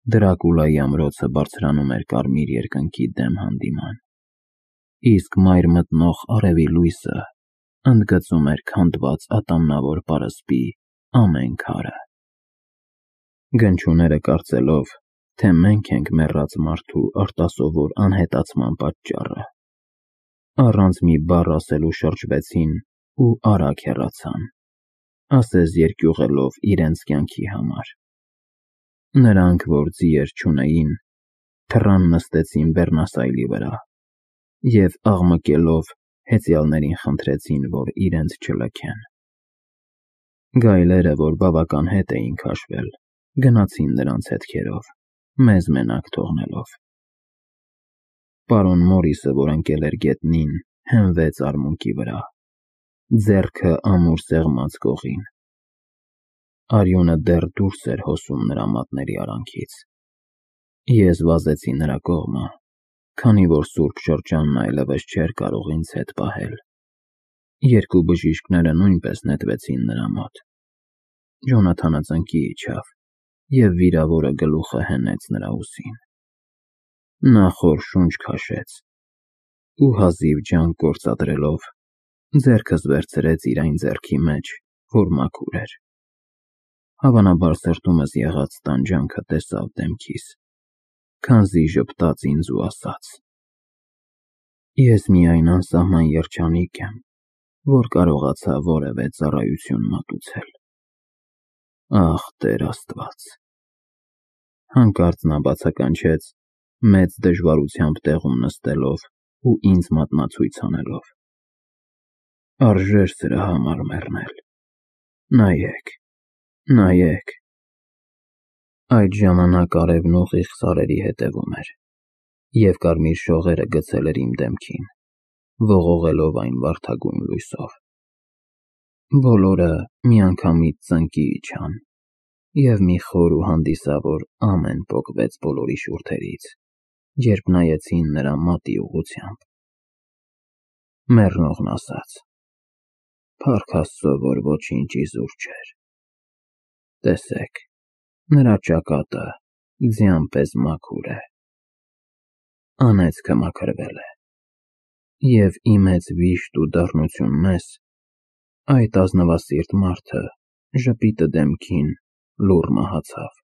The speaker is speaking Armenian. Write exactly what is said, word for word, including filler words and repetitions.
Դրակուլայի ամրոցը բարձրանում էր կարմիր երկնքի դեմ հանդիման, իսկ մայր մտնող արևի լույսը ընդգծում էր քանդված ատամնավոր պարսպի ամեն քարը։ Գնչուները կարծելով, թե մենք ենք մեռած մարդու արտասովոր անհետացման պատճառը, առանց մի բառ ասելու շրջվեցին ու արագ հեռացան, ասես երկյուղելով իրենց կյանքի համար։ Նրանք, որ ձիեր չունեին, թռան նստեցին բեռնասայլի վրա և աղմկելով հեծյալներին խնդրեցին, որ իրենց չլքեն։ Գայլերը, որ բավական հետ էին քաշվել, գնացին նրանց հետքերով, մեզ մենակ թողնելով։ Պարոն Մորիսը, որ ընկել էր գետնին, հենվեց արմունկի վրա, ձեռքը ամուր սեղմած կողին։ Արյունը դեռ դուրս էր հոսում նրա մատների արանքից։ Ես վազեցի նրա կողմը, քանի որ սուրբ շրջանն այլևս չէր կարող ինձ հետ պահել։ Երկու բժիշկները նույնպես նետվեցին նրա մոտ։ Ջոնաթանը ծնկի իջավ և վիրավորը գլուխը հենեց նրա ուսին։ Նա խոր շունչ քաշեց ու հազիվ ջանք գործադրելով, ձեռքս վերցրեց իր այն ձեռքի մեջ, որ մաքուր էր։ Հավանաբար սրտումս եղած տանջանքը տեսավ դեմքիս, քանզի ժպտաց ինձ ու ասաց. «Ես միայն անսահման երջանիկ եմ, որ կարողացա որևէ ծառայություն մատուցել»։ Ախ, Տեր Աստված։ Հանկարծ նա բացականչեց, մեծ դժվարությամբ տեղում նստելով ու ինձ մատնացույց անելով. «Արժեր սրա համար մեռնել։ Նայեք, նայեք»։ Այդ ժամանակ արևն ուղիղ սարերի հետևում էր, և կարմիր շողերը գցել էր իմ դեմքին, ողողելով այն վարդագույն լույսով։ Բոլորը միանգամից ծնկի իջան, և մի խոր ու հանդիսավոր ամեն պոկվեց բոլորի շուրթերից, երբ նայեցին նրա մատի ուղղությամբ։ Մեռնողն ասաց. «Փառք Աստծո, որ ոչինչ իզուր չէր։ Տեսեք, նրա ճակատը ձյան պես մաքուր է։ Անեծքը մաքրվել է, և ի մեծ վիշտ ու դառնություն մեզ, այդ ազնվասիրտ մարդը ժպիտը դեմքին լուռ մահացավ»։